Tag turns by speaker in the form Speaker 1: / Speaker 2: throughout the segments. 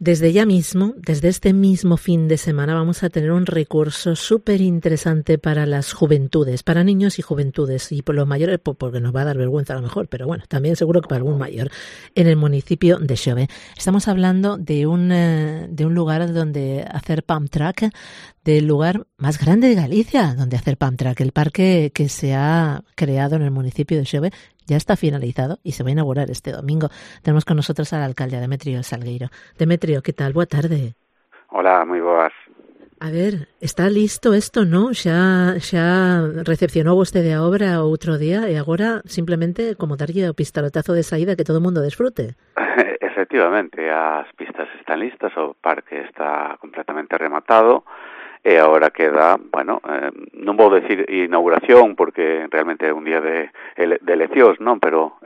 Speaker 1: Desde ya mismo, desde este mismo fin de semana, vamos a tener un recurso súper interesante para las juventudes, para niños y juventudes, y por los mayores, porque nos va a dar vergüenza a lo mejor, pero bueno, también seguro que para algún mayor, en el municipio de Xove. Estamos hablando de un lugar donde hacer pump track, del lugar más grande de Galicia, donde hacer pump track. El parque que se ha creado en el municipio de Xove ya está finalizado y se va a inaugurar este domingo. Tenemos con nosotros al alcalde Demetrio Salgueiro. Demetrio, ¿qué tal? Boa tarde.
Speaker 2: Hola, moi boas.
Speaker 1: A ver, está listo esto, non? Xa recepcionou vostede a obra outro día e agora simplemente como darlle o pistoletazo de saída que todo o mundo desfrute.
Speaker 2: Efectivamente, as pistas están listas, o parque está completamente rematado e agora queda, non vou decir inauguración porque realmente é un día de eleccións, non? Pero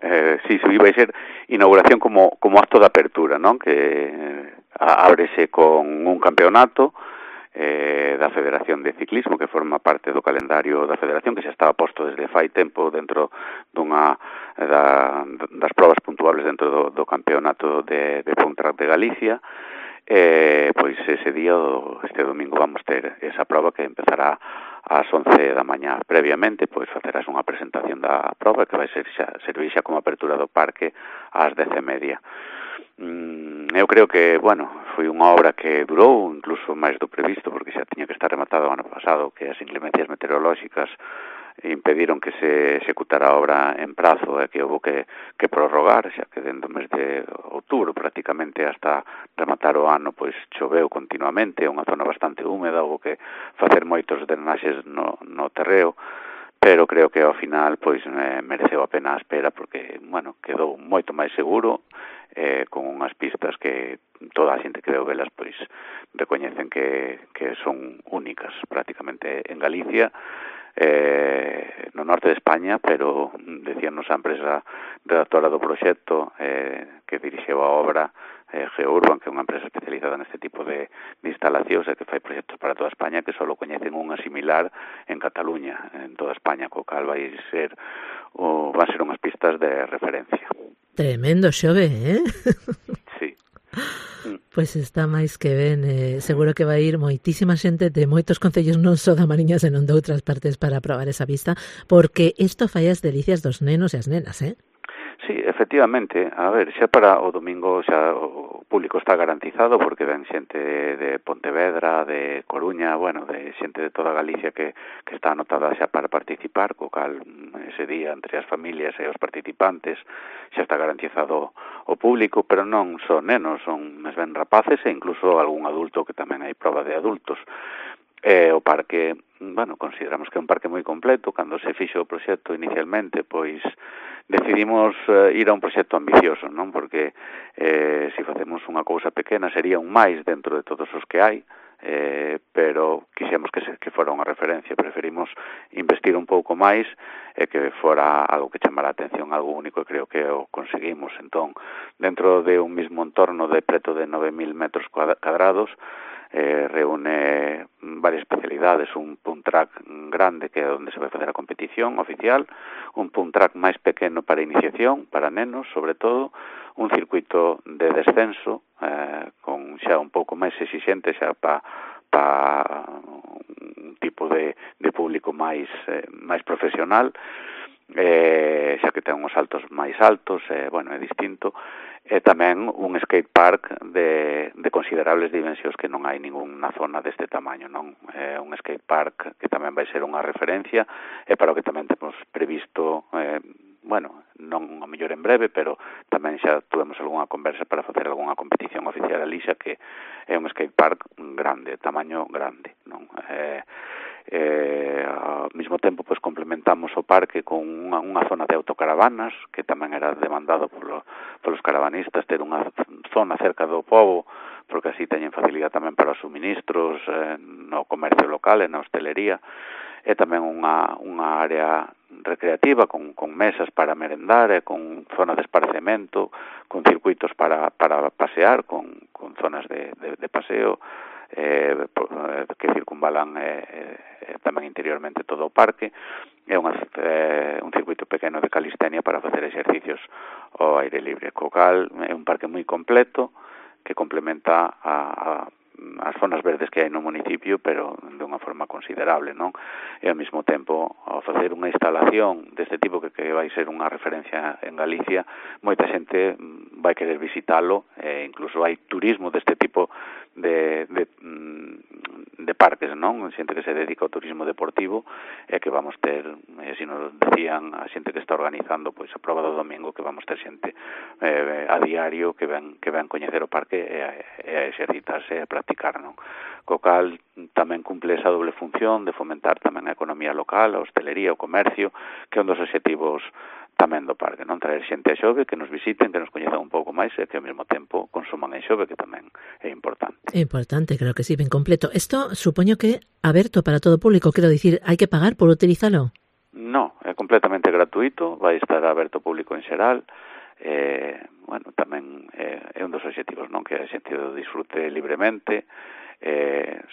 Speaker 2: si vai ser inauguración como acto de apertura, non? Que ábrese con un campeonato da Federación de Ciclismo que forma parte do calendario da Federación, que xa estaba posto desde fai tempo dentro dunha das probas puntuables dentro do campeonato de Pump Track de Galicia. Pois ese día, este domingo, vamos ter esa proba que empezará ás 11 da mañá. Previamente, pois facerás unha presentación da proba que vai servir xa como apertura do parque ás 10:30. Eu creo que, foi unha obra que durou incluso máis do previsto, porque xa tiña que estar rematado o ano pasado, que as inclemencias meteorolóxicas impediron que se executara a obra en prazo e que houve que prorrogar, xa que dentro do mes de outubro prácticamente hasta rematar o ano, pois choveu continuamente, é unha zona bastante húmeda, houve que facer moitos drenaxes no terreo, pero creo que ao final pois mereceu a pena a espera porque, quedou moito máis seguro, con unhas pistas que toda a xente que veu velas pois recoñecen que son únicas prácticamente en Galicia, no norte de España, pero decíanos a empresa redactora do proxecto que dirixeu a obra, Geourban, que é unha empresa especializada neste tipo de instalacións e que fai proxectos para toda España, que só coñecen unha similar en Cataluña, en toda España, co cal van ser unhas pistas de referencia.
Speaker 1: Tremendo Xove,
Speaker 2: Sí.
Speaker 1: Pois está máis que ben, seguro que vai ir moitísima xente de moitos concellos non só da Mariña, senón de outras partes para probar esa vista, porque isto fai as delicias dos nenos e as nenas,
Speaker 2: Sí, efectivamente. A ver, xa para o domingo xa o público está garantizado porque ven xente de Pontevedra, de Coruña, de xente de toda Galicia que está anotada xa para participar, co cal ese día entre as familias e os participantes xa está garantizado o público, pero non son nenos, son máis ben rapaces e incluso algún adulto, que tamén hai proba de adultos. O parque, consideramos que é un parque moi completo. Cando se fixo o proxecto inicialmente, pois decidimos ir a un proxecto ambicioso, non? Porque se facemos unha cousa pequena sería un máis dentro de todos os que hai, pero quixemos que fora unha referencia. Preferimos investir un pouco máis e que fora algo que chamara a atención, algo único, e creo que o conseguimos. Entón, dentro de un mismo entorno de preto de 9.000 metros cadrados, reúne varias especialidades, un pump track grande que é onde se vai facer a competición oficial, un pump track máis pequeno para iniciación, para nenos sobre todo, un circuito de descenso con xa un pouco máis exixente xa para un tipo de público máis profesional, xa que ten uns saltos máis altos, é distinto, e tamén un skate park de considerables dimensións que non hai ninguna zona deste tamaño, non? É un skate park que tamén vai ser unha referencia e para o que tamén temos previsto, non a mellor en breve, pero tamén xa tuvemos algunha conversa para facer algunha competición oficial ali, xa que é un skate park grande, tamaño grande, non? Ao mesmo tempo pois complementamos o parque con unha zona de autocaravanas que tamén era demandado polos caravanistas, ter unha zona cerca do pobo, porque así teñen facilidade tamén para os suministros no comercio local e na hostelería, e tamén unha área recreativa con mesas para merendar e con zona de esparcemento, con circuitos para pasear, con zonas de paseo que circunvalan tamén interiormente todo o parque. É un circuito pequeno de calistenia para facer exercicios ao aire libre, co cal é un parque moi completo, que complementa as zonas verdes que hai no municipio, pero de unha forma considerable, non? E ao mesmo tempo, ao facer unha instalación deste tipo que vai ser unha referencia en Galicia, moita xente vai querer visitalo, e incluso hai turismo deste tipo de parques, non? Xente que se dedica ao turismo deportivo, e que vamos ter, así nos decían a xente que está organizando pois a proba do domingo, que vamos ter xente a diario que ven coñecer o parque e a exercitarse e a practicar, non? Co cal tamén cumple esa doble función de fomentar tamén a economía local, a hostelería, o comercio, que é un dos obxectivos tamén do parque, non? Traer xente a Xove, que nos visiten, que nos coñezan un pouco máis e que ao mesmo tempo consuman en Xove, que tamén é importante.
Speaker 1: É importante, creo que sí, ben completo. Isto supoño que aberto para todo o público, quero dicir, hai que pagar por utilizalo?
Speaker 2: No, é completamente gratuito, vai estar aberto ao público en xeral. Bueno, tamén é un dos obxectivos, non? Que a xente o disfrute libremente,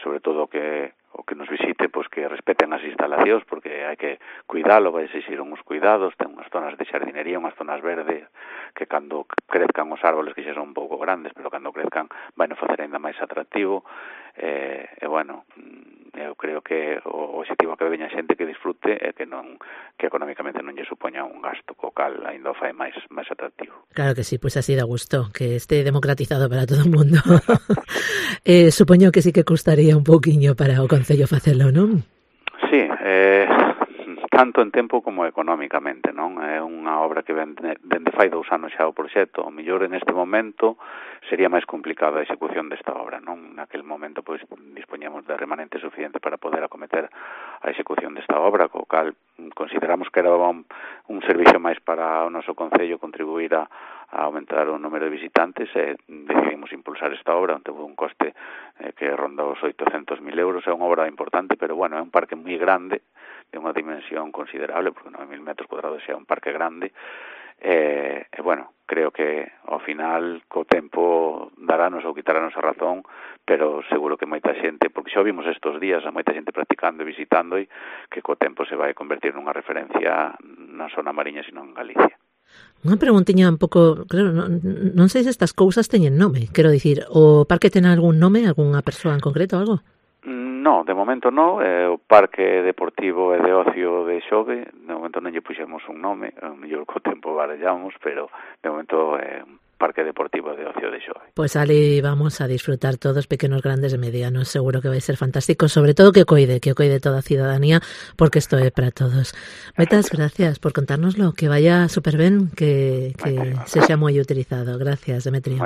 Speaker 2: sobre todo o que nos visite, pois que respeten as instalacións, porque hai que cuidalo, vai exixir uns cuidados, ten unhas zonas de xardinería, unhas zonas verdes, que cando crezcan os árboles, que xa son un pouco grandes, pero cando crezcan vai nos facer ainda máis atractivo, e bueno, eu creo que o objetivo que veña xente que disfrute e que económicamente non lle supoña un gasto, co cal ainda o fai máis atractivo.
Speaker 1: Claro que sí, pues así da gusto, que esté democratizado para todo o mundo. Supoño que sí que custaría un pouquiño para o Concello facelo, non?
Speaker 2: Sí, tanto en tempo como económicamente, non? É unha obra que dende fai 2 anos xa o proxecto, o mellor en este momento sería máis complicada a execución desta obra, non? Naquel momento pois dispoñemos de remanente suficiente para poder acometer a execución desta obra, co cal consideramos que era un servicio máis para o noso concello contribuir a aumentar o número de visitantes, e decidimos impulsar esta obra, onde teve un coste que ronda os 800.000 euros. É unha obra importante, pero bueno, é un parque moi grande, de unha dimensión considerable, porque 9.000 metros cuadrados é un parque grande, e bueno, creo que ao final co tempo darános ou quitarános a razón, pero seguro que moita xente, porque xa vimos estes días a moita xente practicando e visitando, e que co tempo se vai convertir nunha referencia non só na Mariña, sino en Galicia.
Speaker 1: Unha preguntiña un pouco, claro, non sei se estas cousas teñen nome, quero dicir, o parque ten algún nome, algunha persoa en concreto, algo?
Speaker 2: No, de momento no, o Parque Deportivo e de Ocio de Xove, de momento non lle puxemos un nome, mellor co tempo barallamos, pero de momento é un Parque Deportivo de Ocio de Xove.
Speaker 1: Pues ali vamos a disfrutar todos, pequenos, grandes e medianos, seguro que vai ser fantástico, sobre todo que coide toda a cidadanía, porque isto é para todos. Moitas gracias por contárnoslo, que vaya super ben, que sexa moi utilizado. Gracias, Demetrio.